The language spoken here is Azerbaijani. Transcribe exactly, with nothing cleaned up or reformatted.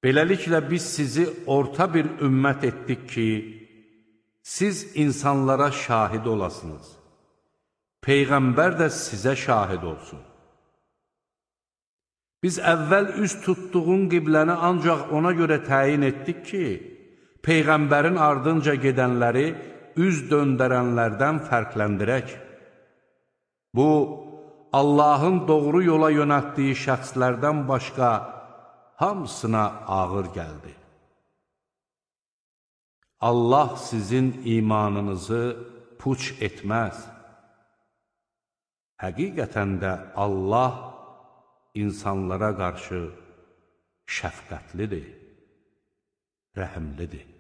Beləliklə biz sizi orta bir ümmət etdik ki, siz insanlara şahid olasınız. Peyğəmbər də sizə şahid olsun. Biz əvvəl üz tutduğun qibləni ancaq ona görə təyin etdik ki, Peyğəmbərin ardınca gedənləri üz döndərənlərdən fərqləndirək. Bu, Allahın doğru yola yönəltdiyi şəxslərdən başqa hamısına ağır gəldi. Allah sizin imanınızı puç etməz. Həqiqətən də Allah insanlara qarşı şəfqətlidir, rəhimlidir.